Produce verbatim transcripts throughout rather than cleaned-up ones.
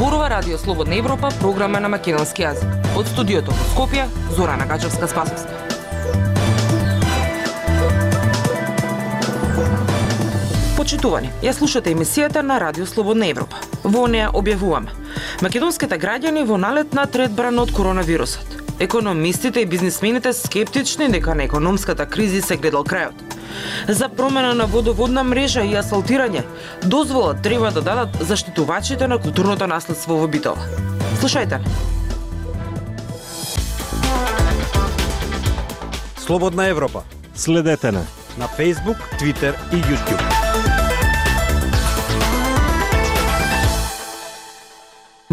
Зборува Радио Слободна Европа, програма на македонски јазик. Од студиото во Скопје, Зорана Гачевска-Спасовска. Почитувани, ја слушате емисијата на Радио Слободна Европа. Во неа објавуваме: македонските граѓани во налет на трет бран од коронавирусот. Економистите и бизнисмените скептични дека на економската криза се гледал крајот. За промена на водоводна мрежа и асфалтирање, дозвола треба да дадат заштитувачите на културното наследство во Битола. Слушајте. Слободна Европа. Следете на на Facebook, Twitter и YouTube.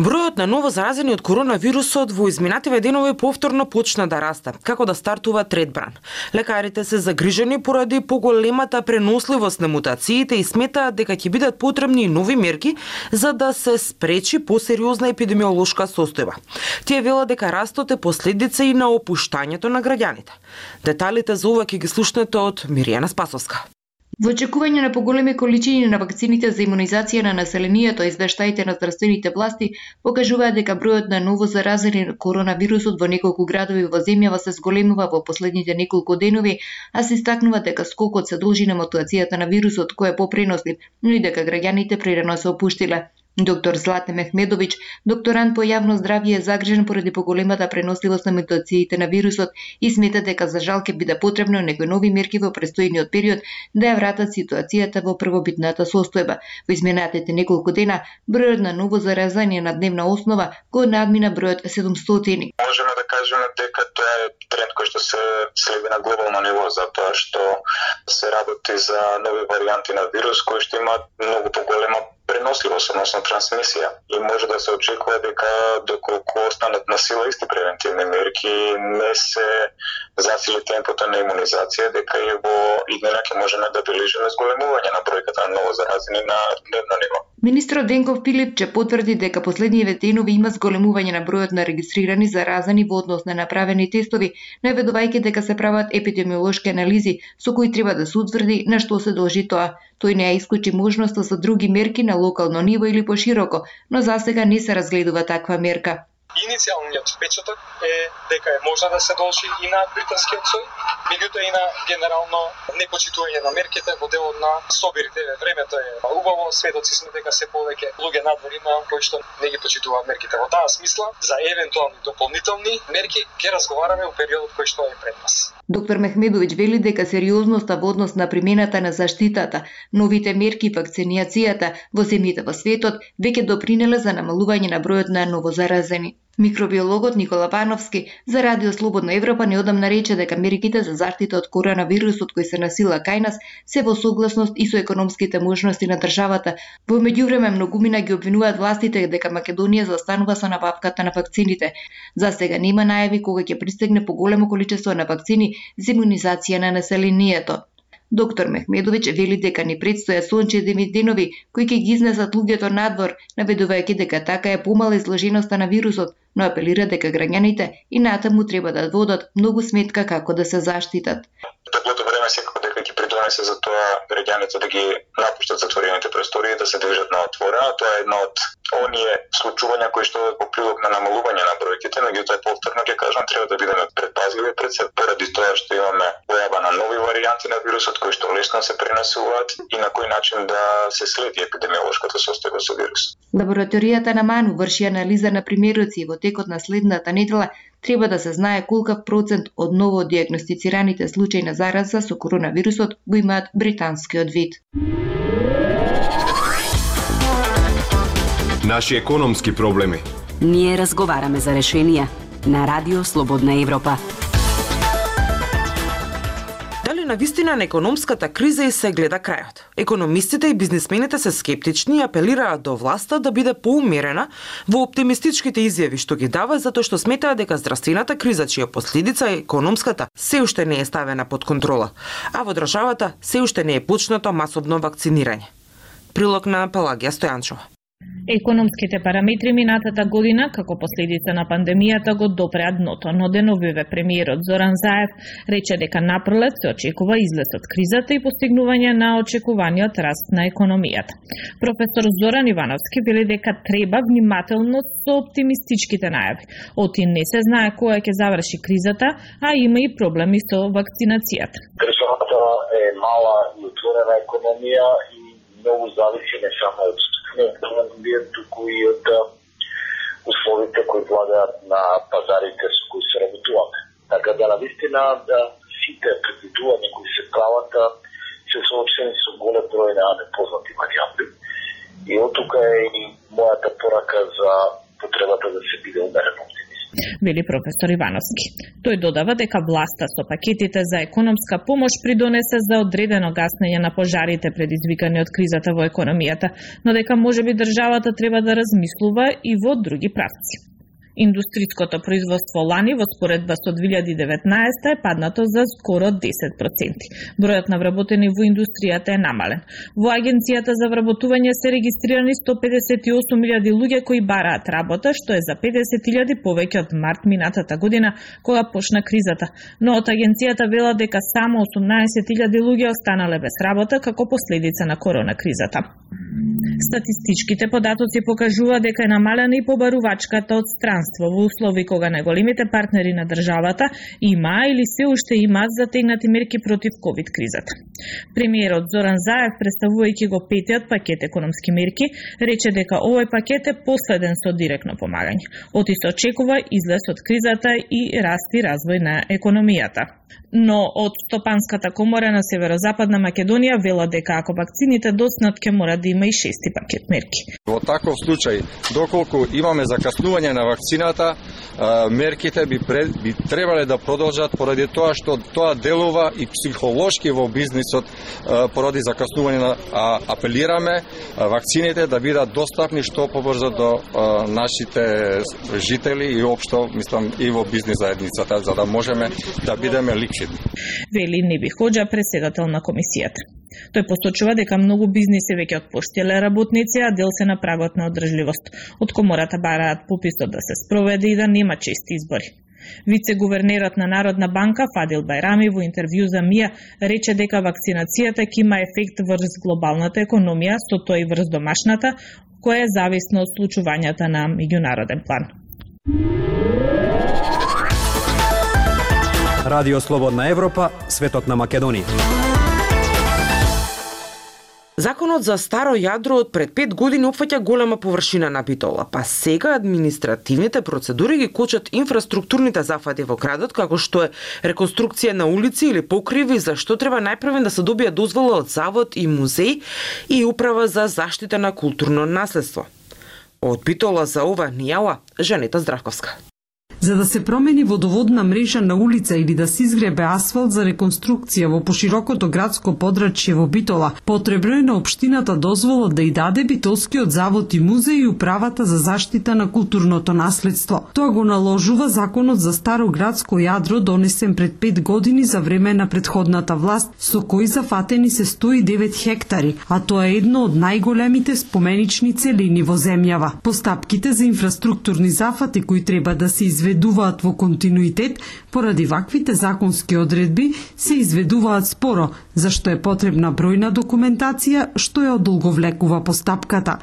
Бројот на ново заразени од коронавирусот во изминативе денови повторно почна да расте, како да стартува трет бран. Лекарите се загрижени поради поголемата преносливост на мутациите и сметаат дека ќе бидат потребни нови мерки за да се спречи посериозна епидемиолошка состојба. Тие велат дека растот е последица и на опуштањето на граѓаните. Деталите за ова ќе ги слушнете од Миријана Спасовска. Во очекување на поголеми количини на вакцините за имунизација на населението, извештаите на здравствените власти покажуваат дека бројот на ново заразени на коронавирусот во неколку градови во земјава се зголемува во последните неколку денови, а се истакнува дека скокот се должи на мутацијата на вирусот кој е попренослив, но и дека граѓаните прерано се опуштиле. Доктор Злате Мехмедович, докторант по јавно здравје, е загрижен поради поголемата преносливост на мутациите на вирусот и смета дека за жал ќе биде потребно некои нови мерки во престојниот период да ја вратат ситуацијата во првобитната состојба. Во изминатите неколку дена бројот на ново заразени на дневна основа го надмина бројот седумстотини. Можеме да кажеме дека тоа е тренд кој што се следи на глобално ниво, затоа што се работи за нови варијанти на вирус кои што имаат многу поголема преносливост, односно трансмисија. И може да се очекува дека доколку останат на сила исти превентивни мерки, не се засили темпото на имунизација, дека и во иднина ќе можеме да бележиме зголемување на бројката на ново заразени на дневно ниво. Министрот Денков Пилипче потврди дека последниве денови има зголемување на бројот на регистрирани заразени во однос на направени тестови, наведувајќи дека се прават епидемиолошки анализи со кои треба да се утврди на што се должи тоа. Тој не ја исклучи можноста за други мерки на локално ниво или пошироко, но засега не се разгледува таква мерка. Иницијалниот впечаток е дека е можна да се должи и на британскиот сој, меѓутоа и на генерално непочитување на мерките во делот на собирите. Времето е убаво, сведоци сме дека се повеќе луѓе надвор има кои што не ги почитуваат мерките. Во таа смисла, за евентуални дополнителни мерки ќе разговараме во периодот кој што е пред нас. Доктор Мехмедович вели дека сериозноста во однос на примената на заштитата, новите мерки и вакцинацијата во земјите во светот веќе допринеле за намалување на бројот на новозаразени. Микробиологот Никола Пановски за Радио Слободна Европа неодамна рече дека мерките за заштита од коронавирусот кои се на сила кај нас се во согласност и со економските можности на државата. Во меѓувреме многумина ги обвинуваат властите дека Македонија заостанува со набавката на вакцините. За сега нема најави кога ќе пристигне поголемо количество на вакцини за имунизација на населението. Доктор Мехмедович вели дека ни предстојат сончеви денови кои ќе ги изнесат луѓето надвор, наведувајќи дека така е помала изложеноста на вирусот, но апелира дека граѓаните и натаму треба да водат многу сметка како да се заштитат. Теплото време секако дека ќе придонесе за тоа граѓаните да ги напуштат затворените простории, да се движат на отворено. Тоа е едно од оние случувања кои што во прилог на намалување на бројките, меѓутоа повторно ќе кажам, треба да бидеме предпазливи пред се поради тоа што имаме појава на нови варијанти на вирусот кои што лесно се пренесуваат и на кој начин да се следи епидемиолошката состојба со вирус. Лабораторијата на МАНУ врши анализа на примероци во текот на следната недела треба да се знае колкав процент од ново диагностицираните случаи на зараза со коронавирусот го имаат британскиот вид. Наши економски проблеми. Ние разговараме за решенија на Радио Слободна Европа. Дали навистина на економската криза и се гледа крајот? Економистите и бизнисмените се скептични и апелираат до власта да биде поумерена во оптимистичките изјави што ги дава, затоа што сметаат дека здравствената криза, чија последица е економската, се уште не е ставена под контрола, а во државата се уште не е почнато масовно вакцинирање. Прилог на Пелагија Стојанчова. Економските параметри минатата година, како последица на пандемијата, го допреа дното, но деновиве премиерот Зоран Заев рече дека напролет се очекува излез од кризата и постигнување на очекуваниот раст на економијата. Професор Зоран Ивановски вели дека треба внимателност со оптимистичките најави. Оти не се знае кога ќе заврши кризата, а има и проблеми со вакцинацијата. Државата е мала и отворена економија и многу зависи не само од економија, туку и од условите кои владеат на пазарите со кои се работуваме. Така да, навистина, да сите предвидувања кои се прават се соочени со голем број на непознати варијанти. И од тука е и мојата порака за потребата да се биде умерен оптимист. Вели професор Ивановски. Тој додава дека власта со пакетите за економска помош придонесе за одредено гаснење на пожарите предизвикани од кризата во економијата, но дека можеби државата треба да размислува и во други правци. Индустриското производство лани во споредба со две илјади и деветнаесета е паднато за скоро десет проценти. Бројот на вработени во индустријата е намален. Во Агенцијата за вработување се регистрирани сто педесет и осум илјади луѓе кои бараат работа, што е за педесет илјади повеќе од март минатата година, кога почна кризата. Но од Агенцијата велат дека само осумнаесет илјади луѓе останале без работа како последица на корона кризата. Статистичките податоци покажуваат дека е намалена и побарувачката од странство во услови кога најголемите партнери на државата имаа или се уште имаат затегнати мерки против ковид кризата. Премиерот Зоран Заев, представувајќи го петиот пакет економски мерки, рече дека овој пакет е последен со директно помагање. Оти се очекува излез од кризата и раст и развој на економијата. Но од Стопанската комора на Северозападна Македонија велат дека ако вакцините доснат, ќе мора да има и шести пакет мерки. Во таков случај, доколку имаме закаснување на вакцината, мерките би, пред, би требале да продолжат поради тоа што тоа делува и психолошки во бизнисот поради закаснување на а, апелираме вакцините да бидат достапни што побрзо до а, нашите жители и општо, мислам, и во бизнис заедницата, за да можеме да бидеме ликвидни. Вели Неби Хоџа, председател на комисијата. Тој посочува дека многу бизниси веќе отпуштиле работници, а дел се на прагот на одржливост. Од комората бараат пописот да се спроведе и да нема чести избори. Вице-гувернерот на Народна банка Фадил Байрами во интервју за МИА рече дека вакцинацијата ќе има ефект врз глобалната економија, со тоа и врз домашната, која е зависна од случувањата на меѓународен план. Радио Слободна Европа, светот на Македонија. Законот за старо јадро од пред пет години опфаќа голема површина на Битола, па сега административните процедури ги кочат инфраструктурните зафати во градот, како што е реконструкција на улици или покриви, за што треба најпрвен да се добие дозвола од завод и музеј и управа за заштита на културно наследство. Од Битола за ова Нијала, Жанета Здравковска. За да се промени водоводна мрежа на улица или да се изгребе асфалт за реконструкција во поширокото градско подрачје во Битола, потребно е на општината дозвола да и даде Битолскиот завод и музеј и управата за заштита на културното наследство. Тоа го наложува законот за старо градско јадро донесен пред пет години за време на претходната власт, со кој зафатени се сто и девет хектари, а тоа е едно од најголемите споменични целини во земјава. Постапките за инфраструктурни зафати кои треба да се изведуваат изведуваат во континуитет, поради ваквите законски одредби се изведуваат споро, зашто е потребна бројна документација што ја одолговлекува постапката.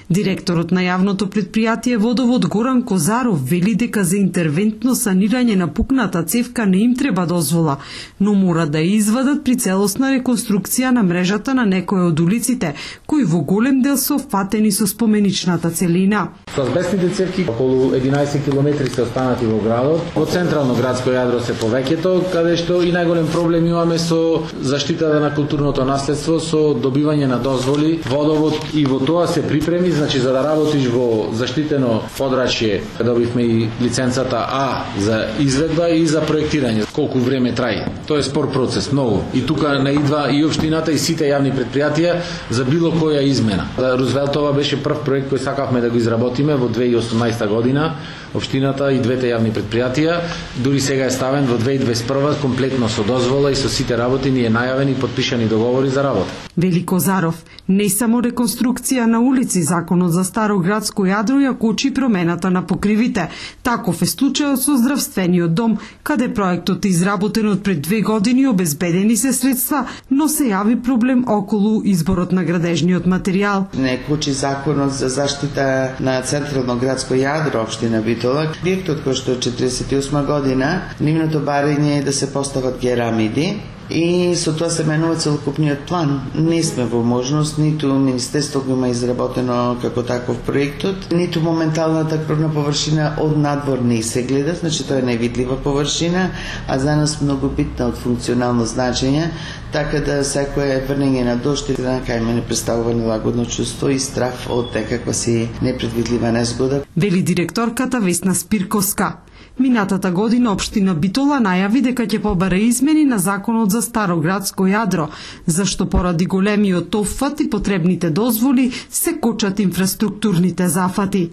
Директорот на јавното предпријатие Водовод Горан Козаров вели дека за интервентно санирање на пукната цевка не им треба дозвола, но мора да ја извадат при целосна реконструкција на мрежата на некои од улиците, кои во голем дел се опфатени со споменичната целина. Со азбестните цевки околу единаесет километри се останати во градот. Во централно градско јадро се повеќето, каде што и најголем проблем имаме со заштитата на културното наследство, со добивање на дозволи. Водовод и во тоа се припреми, значи за да работиш во заштитено подрачје, добивме и лиценцата А за изведба и за проектирање. Колку време траи? Тоа е спор процес, многу. И тука наидва и општината и сите јавни предпријатија за било која измена. Рузвелтова беше прв проект кој сакавме да го изработиме во две илјади и осумнаесета година. Општината и двете јавни предпријатија, дури сега е ставен во две илјади и дваесет и прва комплетно со дозвола и со сите работи ни е најавени и потпишани договори за работа. Вели Козаров. Не само реконструкција на улици, законот за старо градско јадро ја кочи промената на покривите. Таков е случајот со здравствениот дом, каде проектот е изработен од пред две години, обезбедени се средства, но се јави проблем околу изборот на градежниот материјал. Не кочи законот за заштита на централно градско јадро општина Битола. Објектот кој што е четиресет и осма година, нивното барање е да се постават керамиди и со тоа се менува целокупниот план. Не сме во можност, ниту Министерство го има изработено како таков проектот, ниту моменталната крвна површина од надвор не се гледа, значи тоа е невидлива површина, а за нас многу битна од функционално значење, така да секое врнење на дожд и на кај не представува нелагодно чувство и страх од некаква си непредвидлива незгода. Вели директорката Весна Спирковска. Минатата година општина Битола најави дека ќе побара измени на законот за старо градско јадро, зашто поради големиот опфат и потребните дозволи се кочат инфраструктурните зафати.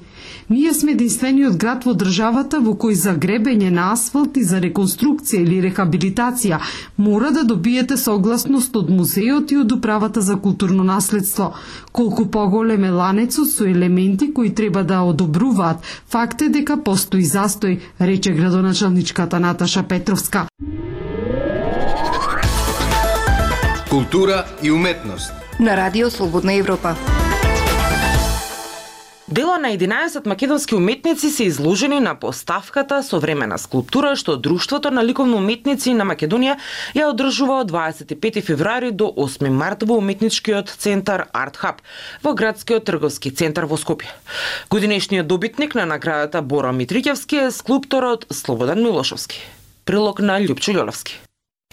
Ние сме единствениот град во државата во кој за гребење на асфалт и за реконструкција или рехабилитација мора да добиете согласност од музеот и од управата за културно наследство. Колку поголем е ланецот со елементи кои треба да одобруваат, факт е дека постои застој, рече градоначалничката Наташа Петровска. Култура и уметност на Радио Слободна Европа. Дела на единаесет македонски уметници се изложени на поставката Современа скулптура што Друштвото на ликовни уметници на Македонија ја одржува од дваесет и пети февруари до осми март во уметничкиот центар Арт Хаб во градскиот трговски центар во Скопје. Годинешниот добитник на наградата Боро Митрикевски е скулпторот Слободан Милошевски. Прилог на Љупчо Љолевски.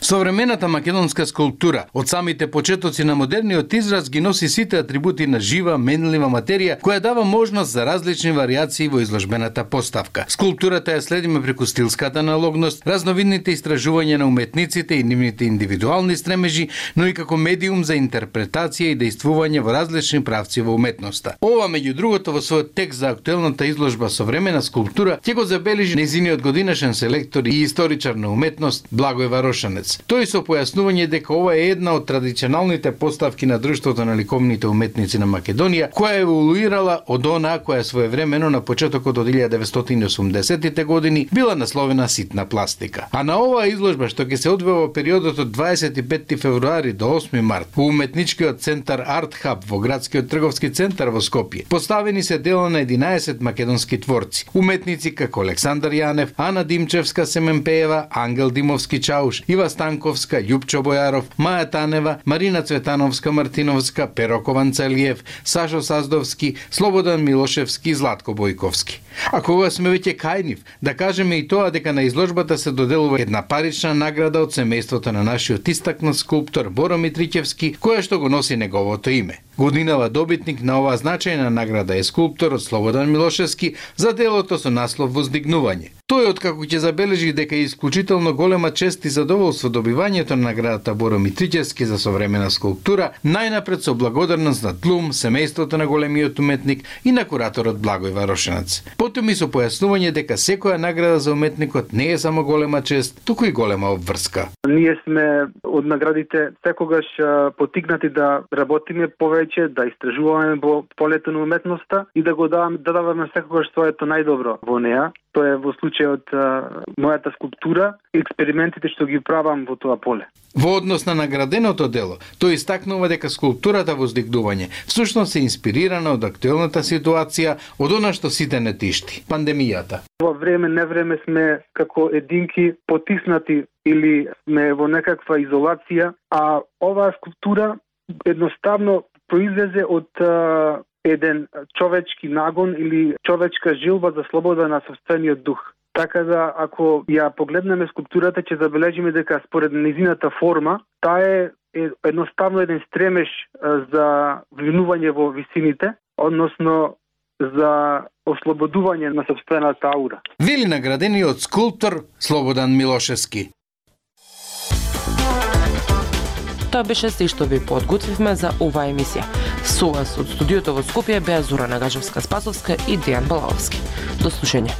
Современата македонска скулптура од самите почетоци на модерниот израз ги носи сите атрибути на жива, менлива материја која дава можност за различни варијации во изложбената поставка. Скулптурата ја следиме преку стилската аналогност, разновидните истражувања на уметниците и нивните индивидуални стремежи, но и како медиум за интерпретација и дејствување во различни правци во уметноста. Ова меѓу другото во својот текст за актуелната изложба Современа скулптура ќе го забележи нејзиниот годинешен селектор и историчар на уметност Благој Варошанец. Тој со појаснување дека ова е една од традиционалните поставки на Друштвото на ликовните уметници на Македонија, која еволуирала од онаа која своевремено на почетокот од илјада деветстотини и осумдесетите години била насловена ситна пластика. А на оваа изложба што ќе се одвива во периодот од дваесет и пети февруари до осми март во уметничкиот центар Арт Хаб во градскиот трговски центар во Скопје, поставени се дела на единаесет македонски творци. Уметници како Александар Јанев, Ана Димчевска Семенпеева, Ангел Димовски Чауш, Ива Станковска, Љупчо Бојаров, Маја Танева, Марина Цветановска Мартиновска, Перо Кованцалиев, Сашо Саздовски, Слободан Милошевски и Златко Бојковски. А кога сме веќе кај нив, да кажеме и тоа дека на изложбата се доделува една парична награда од семејството на нашиот истакнат скулптор Боро Митрикевски, која што го носи неговото име. Годинава добитник на оваа значајна награда е скулпторот Слободан Милошевски за делото со наслов Воздигнување. Тој откако ќе забележи дека е исклучително голема чест и задоволство добивањето на наградата Боро Митрикевски за современа скулптура, најнапред со благодарност на ТЛУМ, семејството на големиот уметник и на кураторот Благој Варошанец. Потом и со појаснување дека секоја награда за уметникот не е само голема чест, туку и голема обврска. Ние сме од наградите секогаш потикнати да работиме повеќе, да истражуваме во полето на уметноста и да го даваме, да даваме секогаш своето најдобро во неа. Тоа е во случајот мојата скулптура и експериментите што ги правам во тоа поле. Во однос на награденото дело, тој истакнува дека скулптурата Воздигнување всушност е инспирирана од актуелната ситуација, од она што сите не тишти – пандемијата. Во време не време сме како единки потиснати или сме во некаква изолација, а оваа скулптура едноставно произлезе од а, еден човечки нагон или човечка жилба за слобода на собствениот дух. Така да, ако ја погледнеме скулптурата, ќе забележиме дека според низината форма, таа е едноставно еден стремеж за влинување во висините, односно за ослободување на собствената аура. Вели наградениот скулптор Слободан Милошевски. Тоа беше се што ви подготвивме за оваа емисија. Со вас од студиото во Скопје беа Зора Нагажевска-Спасовска и Дејан Балаовски. До слушање.